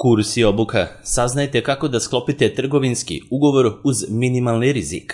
Kurs i obuka. Saznajte kako da sklopite trgovinski ugovor uz minimalni rizik.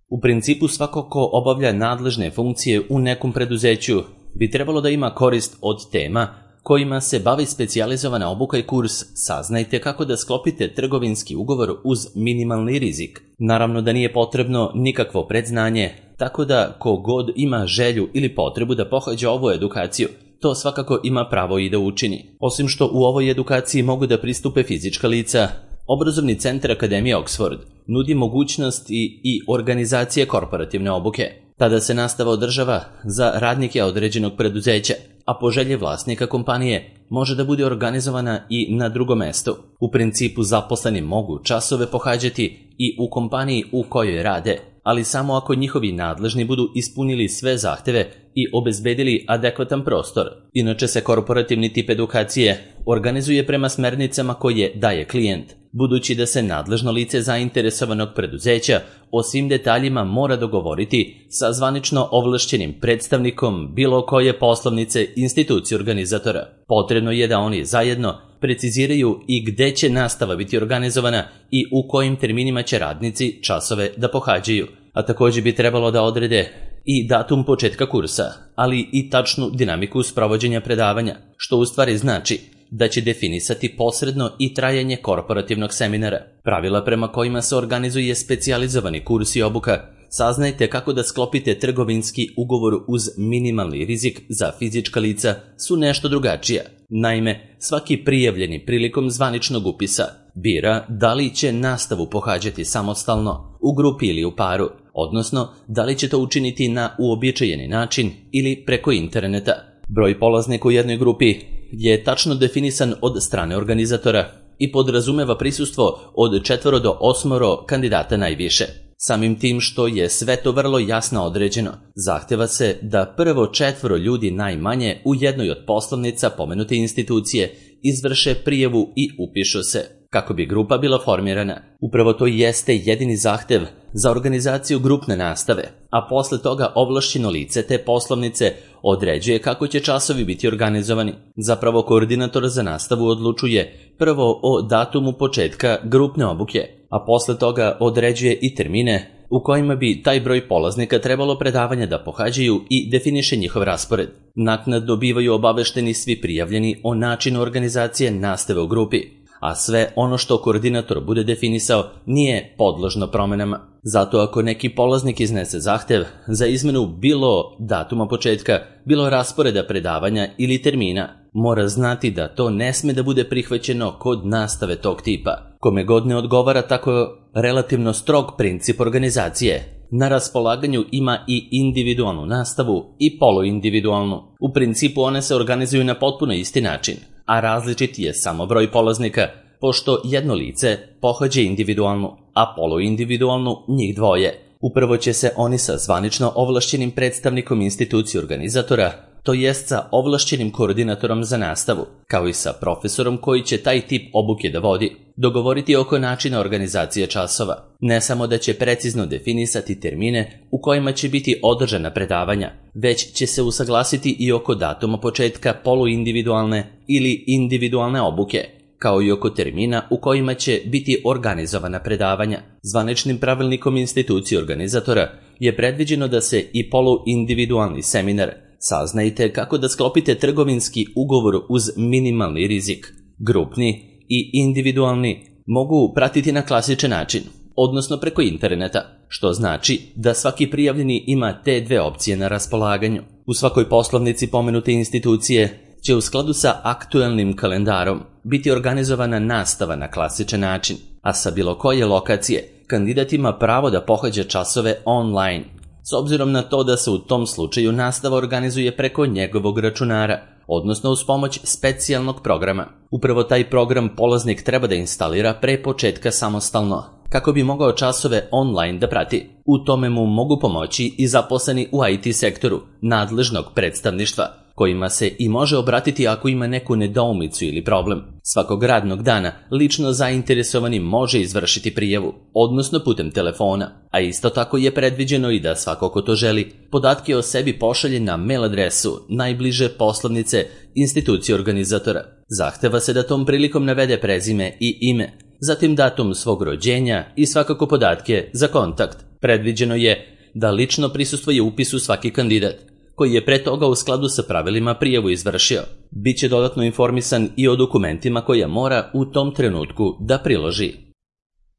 U principu svako ko obavlja nadležne funkcije u nekom preduzeću bi trebalo da ima korist od tema kojima se bavi specijalizovana obuka i kurs. Saznajte kako da sklopite trgovinski ugovor uz minimalni rizik. Naravno da nije potrebno nikakvo predznanje, tako da ko god ima želju ili potrebu da pohađa ovu edukaciju, to svakako ima pravo i da učini. Osim što u ovoj edukaciji mogu da pristupe fizička lica, Obrazovni centar Akademije Oxford nudi mogućnosti i organizacije korporativne obuke. Tada se nastava održava za radnike određenog preduzeća, a po želji vlasnika kompanije može da bude organizovana i na drugom mestu. U principu zaposleni mogu časove pohađati i u kompaniji u kojoj rade, ali samo ako njihovi nadležni budu ispunili sve zahteve i obezbedili adekvatan prostor. Inače se korporativni tip edukacije organizuje prema smernicama koje daje klijent, budući da se nadležno lice zainteresovanog preduzeća o svim detaljima mora dogovoriti sa zvanično ovlašćenim predstavnikom bilo koje poslovnice institucije organizatora. Potrebno je da oni zajedno preciziraju i gde će nastava biti organizovana i u kojim terminima će radnici časove da pohađaju, a također bi trebalo da odrede i datum početka kursa, ali i tačnu dinamiku sprovođenja predavanja, što u stvari znači da će definisati posredno i trajanje korporativnog seminara. Pravila prema kojima se organizuje specijalizovani kurs i obuka. Saznajte kako da sklopite trgovinski ugovor uz minimalni rizik za fizička lica su nešto drugačija. Naime, svaki prijavljeni prilikom zvaničnog upisa bira da li će nastavu pohađati samostalno, u grupi ili u paru, odnosno da li će to učiniti na uobičajeni način ili preko interneta. Broj polaznika u jednoj grupi je tačno definisan od strane organizatora i podrazumeva prisustvo od 4 do 8 kandidata najviše. Samim tim što je sve to vrlo jasno određeno, zahteva se da prvo 4 ljudi najmanje u jednoj od poslovnica pomenute institucije izvrše prijavu i upišu se, kako bi grupa bila formirana. Upravo to jeste jedini zahtev za organizaciju grupne nastave, a posle toga ovlašćeno lice te poslovnice određuje kako će časovi biti organizovani. Zapravo koordinator za nastavu odlučuje prvo o datumu početka grupne obuke, a posle toga određuje i termine u kojima bi taj broj polaznika trebalo predavanja da pohađaju i definiše njihov raspored. Naknadno dobivaju obavešteni svi prijavljeni o načinu organizacije nastave u grupi, a sve ono što koordinator bude definisao nije podložno promenama. Zato ako neki polaznik iznese zahtev za izmenu bilo datuma početka, bilo rasporeda predavanja ili termina, mora znati da to ne sme da bude prihvaćeno kod nastave tog tipa. Kome god ne odgovara tako relativno strog princip organizacije, na raspolaganju ima i individualnu nastavu i poluindividualnu. U principu one se organizuju na potpuno isti način, a različit je samo broj polaznika, pošto jedno lice pohađa individualnu, a poluindividualnu njih dvoje. Upravo će se oni sa zvanično ovlašćenim predstavnikom institucije organizatora, to jest sa ovlašćenim koordinatorom za nastavu, kao i sa profesorom koji će taj tip obuke da vodi, dogovoriti oko načina organizacije časova. Ne samo da će precizno definisati termine u kojima će biti održana predavanja, već će se usaglasiti i oko datuma početka poluindividualne ili individualne obuke, kao i oko termina u kojima će biti organizovana predavanja. Zvaničnim pravilnikom institucije organizatora je predviđeno da se i poluindividualni seminar Saznajte kako da sklopite trgovinski ugovor uz minimalni rizik, grupni i individualni, mogu pratiti na klasičan način, odnosno preko interneta, što znači da svaki prijavljeni ima te dve opcije na raspolaganju. U svakoj poslovnici pomenute institucije će u skladu sa aktuelnim kalendarom biti organizovana nastava na klasičan način, a sa bilo koje lokacije kandidat ima pravo da pohađa časove online, s obzirom na to da se u tom slučaju nastava organizuje preko njegovog računara, odnosno uz pomoć specijalnog programa. Upravo taj program polaznik treba da instalira pre početka samostalno, kako bi mogao časove online da prati. U tome mu mogu pomoći i zaposleni u IT sektoru nadležnog predstavništva, kojima se i može obratiti ako ima neku nedoumicu ili problem. Svakog radnog dana lično zainteresovani može izvršiti prijavu, odnosno putem telefona, a isto tako je predviđeno i da svako ko to želi podatke o sebi pošalje na mail adresu najbliže poslovnice institucije organizatora. Zahteva se da tom prilikom navede prezime i ime, zatim datum svog rođenja i svakako podatke za kontakt. Predviđeno je da lično prisustvuje upisu svaki kandidat, koji je pre toga u skladu sa pravilima prijavu izvršio. Biće dodatno informisan i o dokumentima koje mora u tom trenutku da priloži.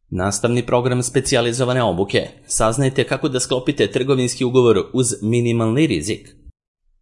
Nastavni program specijalizovane obuke. Saznajte kako da sklopite trgovinski ugovor uz minimalni rizik.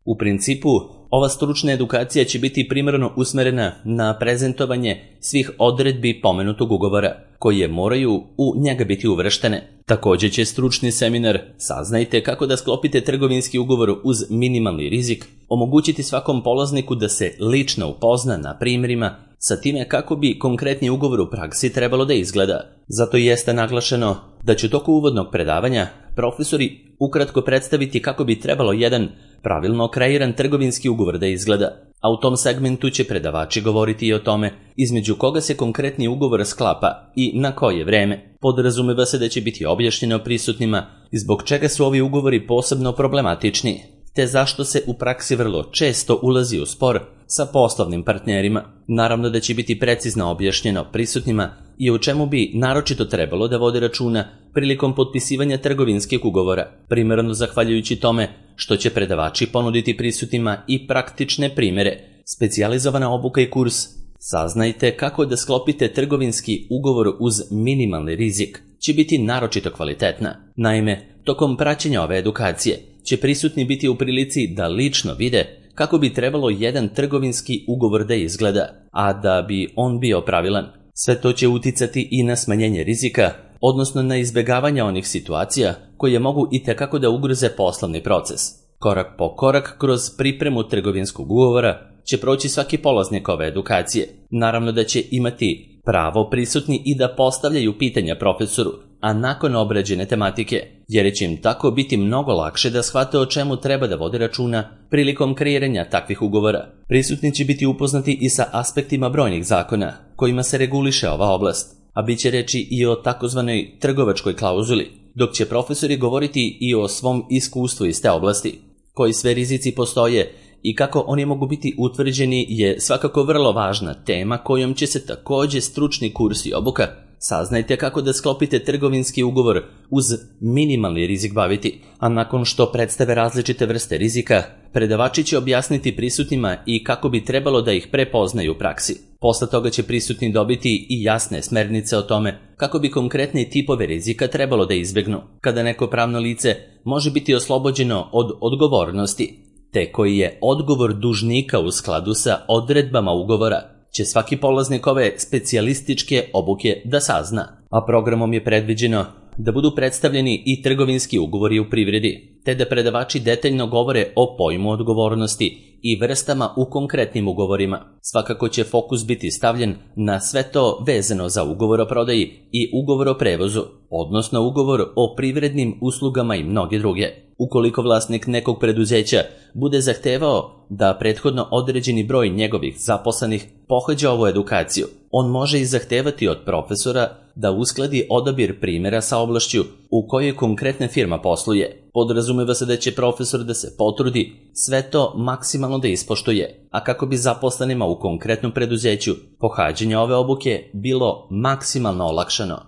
U principu, ova stručna edukacija će biti primarno usmerena na prezentovanje svih odredbi pomenutog ugovora, koje moraju u njega biti uvrštene. Također će stručni seminar Saznajte kako da sklopite trgovinski ugovor uz minimalni rizik omogućiti svakom polazniku da se lično upozna na primjerima sa time kako bi konkretni ugovor u praksi trebalo da izgleda. Zato jeste naglašeno da će u toku uvodnog predavanja profesori ukratko predstaviti kako bi trebalo jedan pravilno kreiran trgovinski ugovor da izgleda, a u tom segmentu će predavači govoriti i o tome između koga se konkretni ugovor sklapa i na koje vreme. Podrazumeva se da će biti objašnjeno prisutnima zbog čega su ovi ugovori posebno problematični, te zašto se u praksi vrlo često ulazi u spor sa poslovnim partnerima. Naravno da će biti precizno objašnjeno prisutnima i o čemu bi naročito trebalo da vode računa prilikom potpisivanja trgovinskih ugovora, primarno zahvaljujući tome što će predavači ponuditi prisutnima i praktične primjere. Specijalizovana obuka i kurs Saznajte kako da sklopite trgovinski ugovor uz minimalni rizik će biti naročito kvalitetna. Naime, tokom praćenja ove edukacije će prisutni biti u prilici da lično vide kako bi trebalo jedan trgovinski ugovor da izgleda, a da bi on bio pravilan. Sve to će uticati i na smanjenje rizika, odnosno na izbjegavanje onih situacija koje mogu itekako da ugroze poslovni proces. Korak po korak kroz pripremu trgovinskog ugovora će proći svaki polaznik ove edukacije. Naravno da će imati pravo prisutni i da postavljaju pitanja profesoru, a nakon obrađene tematike, jer će im tako biti mnogo lakše da shvate o čemu treba da vode računa prilikom kreiranja takvih ugovora. Prisutni će biti upoznati i sa aspektima brojnih zakona kojima se reguliše ova oblast, a bit će reći i o takozvanoj trgovačkoj klauzuli, dok će profesori govoriti i o svom iskustvu iz te oblasti. Koji sve rizici postoje i kako oni mogu biti utvrđeni je svakako vrlo važna tema kojom će se također stručni kurs i obuka Saznajte kako da sklopite trgovinski ugovor uz minimalni rizik baviti, a nakon što predstave različite vrste rizika, predavači će objasniti prisutnima i kako bi trebalo da ih prepoznaju u praksi. Posle toga će prisutni dobiti i jasne smernice o tome kako bi konkretne tipove rizika trebalo da izbjegnu, kada neko pravno lice može biti oslobođeno od odgovornosti, te koji je odgovor dužnika u skladu sa odredbama ugovora, će svaki polaznik ove specijalističke obuke da sazna, a programom je predviđeno da budu predstavljeni i trgovinski ugovori u privredi, te da predavači detaljno govore o pojmu odgovornosti i vrstama u konkretnim ugovorima. Svakako će fokus biti stavljen na sve to vezano za ugovor o prodaji i ugovor o prevozu, odnosno ugovor o privrednim uslugama i mnoge druge. Ukoliko vlasnik nekog preduzeća bude zahtevao da prethodno određeni broj njegovih zaposlenih pohađa ovu edukaciju, on može i zahtevati od profesora da uskladi odabir primjera sa oblašću u kojoj konkretna firma posluje. Podrazumeva se da će profesor da se potrudi sve to maksimalno da ispoštuje, a kako bi zaposlenima u konkretnom preduzeću pohađanje ove obuke bilo maksimalno olakšano.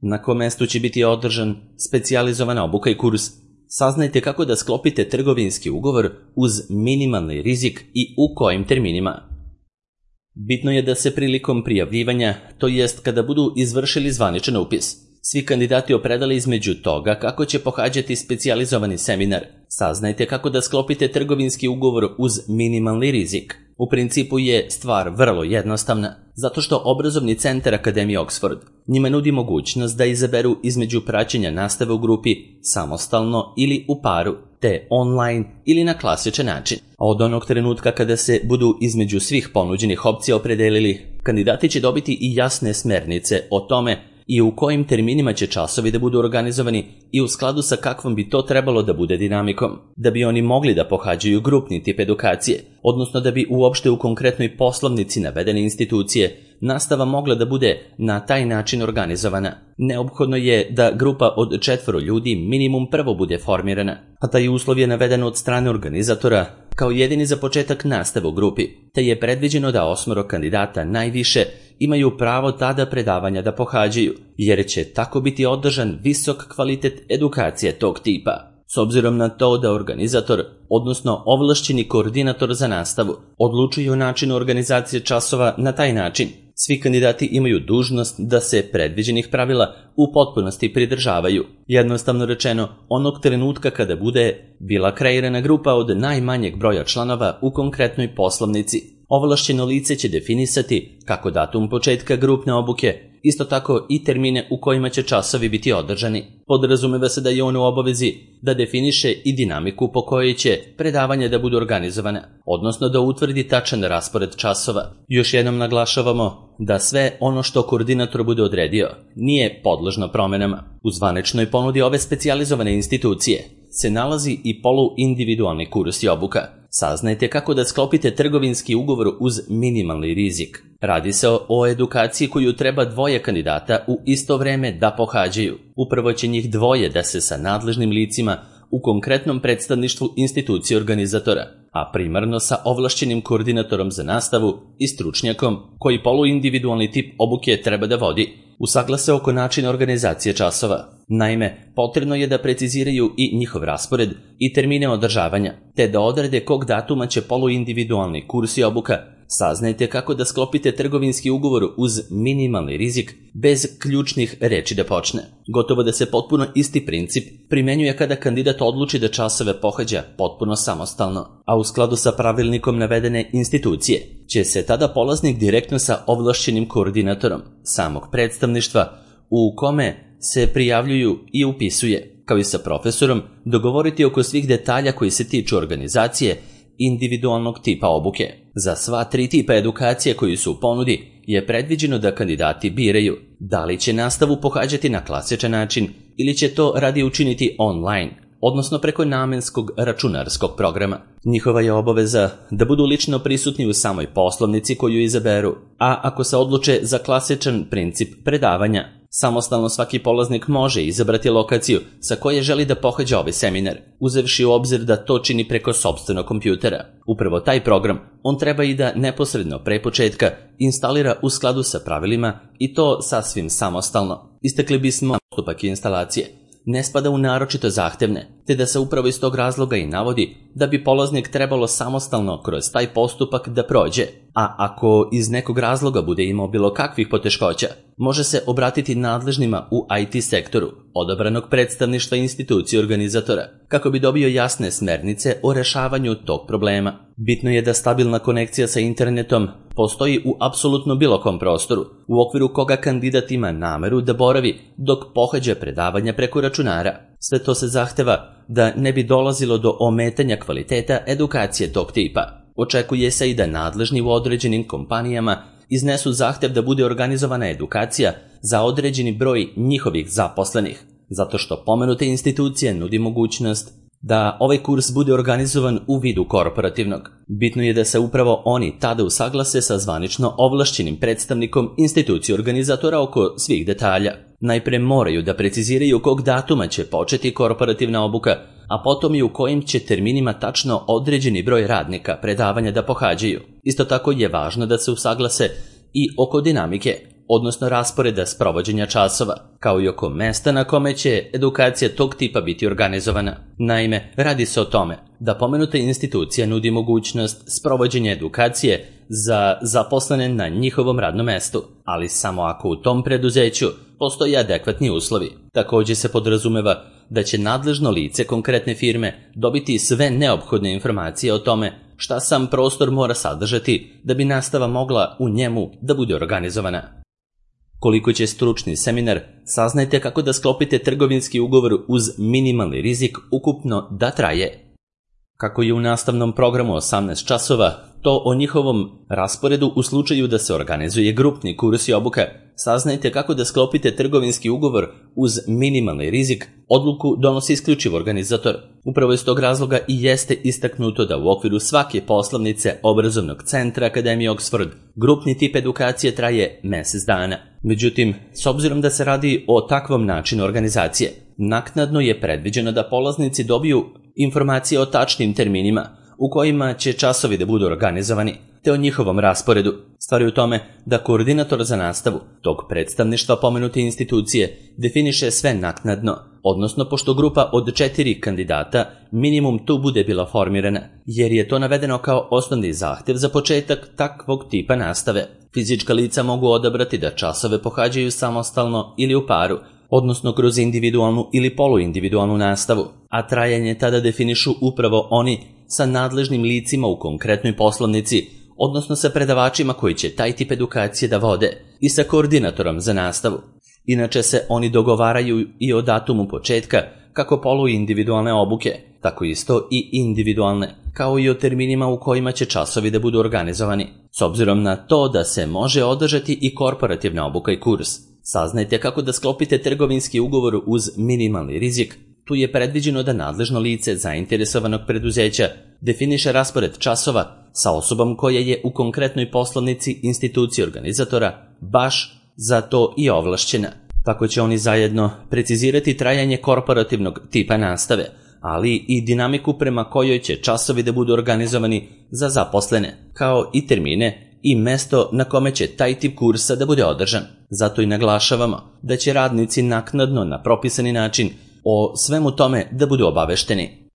Na kom mestu će biti održan specijalizovana obuka i kurs Saznajte kako da sklopite trgovinski ugovor uz minimalni rizik i u kojim terminima. Bitno je da se prilikom prijavljivanja, to jest kada budu izvršili zvaničan upis, svi kandidati opredele između toga kako će pohađati specijalizovani seminar. Saznajte kako da sklopite trgovinski ugovor uz minimalni rizik. U principu je stvar vrlo jednostavna, zato što obrazovni centar Akademije Oxford njima nudi mogućnost da izaberu između praćenja nastave u grupi samostalno ili u paru, te online ili na klasičan način. A od onog trenutka kada se budu između svih ponuđenih opcija opredelili, kandidati će dobiti i jasne smernice o tome i u kojim terminima će časovi da budu organizovani i u skladu sa kakvom bi to trebalo da bude dinamikom, da bi oni mogli da pohađaju grupni tip edukacije, odnosno da bi uopšte u konkretnoj poslovnici navedene institucije nastava mogla da bude na taj način organizovana. Neophodno je da grupa od 4 ljudi minimum prvo bude formirana, a taj uslov je naveden od strane organizatora kao jedini za početak nastave u grupi, te je predviđeno da 8 kandidata najviše imaju pravo tada predavanja da pohađaju, jer će tako biti održan visok kvalitet edukacije tog tipa. S obzirom na to da organizator, odnosno ovlašćeni koordinator za nastavu, odlučuje o načinu organizacije časova na taj način, svi kandidati imaju dužnost da se predviđenih pravila u potpunosti pridržavaju. Jednostavno rečeno, onog trenutka kada bude bila kreirana grupa od najmanjeg broja članova u konkretnoj poslovnici, ovlašćeno lice će definisati kako datum početka grupne obuke, isto tako i termine u kojima će časovi biti održani. Podrazumeva se da je on u obavezi da definiše i dinamiku po kojoj će predavanja da budu organizovane, odnosno da utvrdi tačan raspored časova. Još jednom naglašavamo da sve ono što koordinator bude odredio nije podložno promenama. U zvaničnoj ponudi ove specijalizovane institucije se nalazi i poluindividualni kurs i obuka. Saznajte kako da sklopite trgovinski ugovor uz minimalni rizik. Radi se o edukaciji koju treba 2 kandidata u isto vreme da pohađaju. Upravo će njih 2 da se sa nadležnim licima u konkretnom predstavništvu institucije organizatora, a primarno sa ovlašćenim koordinatorom za nastavu i stručnjakom koji poluindividualni tip obuke treba da vodi, usaglase oko načina organizacije časova. Naime, potrebno je da preciziraju i njihov raspored i termine održavanja, te da odrede kog datuma će poluindividualni kurs i obuka. Saznajte kako da sklopite trgovinski ugovor uz minimalni rizik bez ključnih reči da počne. Gotovo da se potpuno isti princip primenjuje kada kandidat odluči da časove pohađa potpuno samostalno, a u skladu sa pravilnikom navedene institucije će se tada polaznik direktno sa ovlašćenim koordinatorom samog predstavništva u kome se prijavljuju i upisuje, kao i sa profesorom, dogovoriti oko svih detalja koji se tiču organizacije individualnog tipa obuke. Za sva 3 tipa edukacije koji su u ponudi je predviđeno da kandidati biraju da li će nastavu pohađati na klasičan način ili će to radije učiniti online, odnosno preko namenskog računarskog programa. Njihova je obaveza da budu lično prisutni u samoj poslovnici koju izaberu, a ako se odluče za klasičan princip predavanja, samostalno svaki polaznik može izabrati lokaciju sa koje želi da pohađa ovaj seminar, uzevši u obzir da to čini preko sopstvenog kompjutera. Upravo taj program on treba i da neposredno pre početka instalira u skladu sa pravilima i to sasvim samostalno. Istakli bismo postupak instalacije ne spada u naročito zahtevne, te da se upravo iz tog razloga i navodi da bi polaznik trebalo samostalno kroz taj postupak da prođe, a ako iz nekog razloga bude imao bilo kakvih poteškoća, može se obratiti nadležnima u IT sektoru odabranog predstavništva institucije organizatora, kako bi dobio jasne smernice o rešavanju tog problema. Bitno je da stabilna konekcija sa internetom postoji u apsolutno bilo kom prostoru, u okviru koga kandidat ima nameru da boravi dok pohađa predavanja preko računara. Sve to se zahteva da ne bi dolazilo do ometanja kvaliteta edukacije tog tipa. Očekuje se i da nadležni u određenim kompanijama iznesu zahtev da bude organizovana edukacija za određeni broj njihovih zaposlenih, zato što pomenute institucije nudi mogućnost da ovaj kurs bude organizovan u vidu korporativnog. Bitno je da se upravo oni tada usaglase sa zvanično ovlašćenim predstavnikom institucije organizatora oko svih detalja. Najpre moraju da preciziraju kog datuma će početi korporativna obuka, a potom i u kojim će terminima tačno određeni broj radnika predavanja da pohađaju. Isto tako je važno da se usaglase i oko dinamike, odnosno rasporeda sprovođenja časova, kao i oko mesta na kome će edukacija tog tipa biti organizovana. Naime, radi se o tome da pomenuta institucija nudi mogućnost sprovođenja edukacije za zaposlene na njihovom radnom mestu, ali samo ako u tom preduzeću postoje adekvatni uslovi. Također se podrazumeva da će nadležno lice konkretne firme dobiti sve neophodne informacije o tome šta sam prostor mora sadržati da bi nastava mogla u njemu da bude organizovana. Koliko će stručni seminar, saznajte kako da sklopite trgovinski ugovor uz minimalni rizik ukupno da traje. Kako je u nastavnom programu 18 časova, to o njihovom rasporedu u slučaju da se organizuje grupni kurs i obuka saznajte kako da sklopite trgovinski ugovor uz minimalni rizik, odluku donosi isključivo organizator. Upravo iz tog razloga i jeste istaknuto da u okviru svake poslovnice obrazovnog centra Akademije Oxford grupni tip edukacije traje mjesec dana. Međutim, s obzirom da se radi o takvom načinu organizacije, naknadno je predviđeno da polaznici dobiju informacije o tačnim terminima u kojima će časovi da budu organizovani, te o njihovom rasporedu. Stvar je u tome da koordinator za nastavu tog predstavništva pomenute institucije definiše sve naknadno, odnosno pošto grupa od 4 kandidata minimum tu bude bila formirana, jer je to navedeno kao osnovni zahtjev za početak takvog tipa nastave. Fizička lica mogu odabrati da časove pohađaju samostalno ili u paru, odnosno kroz individualnu ili poluindividualnu nastavu, a trajanje tada definišu upravo oni sa nadležnim licima u konkretnoj poslovnici, odnosno sa predavačima koji će taj tip edukacije da vode i sa koordinatorom za nastavu. Inače se oni dogovaraju i o datumu početka, kako poluindividualne obuke, tako isto i individualne, kao i o terminima u kojima će časovi da budu organizovani, s obzirom na to da se može održati i korporativna obuka i kurs. Saznajte kako da sklopite trgovinski ugovor uz minimalni rizik. Tu je predviđeno da nadležno lice zainteresovanog preduzeća definiše raspored časova sa osobom koja je u konkretnoj poslovnici institucije organizatora baš za to i ovlašćena. Tako će oni zajedno precizirati trajanje korporativnog tipa nastave, ali i dinamiku prema kojoj će časovi da budu organizovani za zaposlene, kao i termine i mesto na kome će taj tip kursa da bude održan. Zato i naglašavamo da će radnici naknadno na propisani način o svemu tome da budu obavešteni.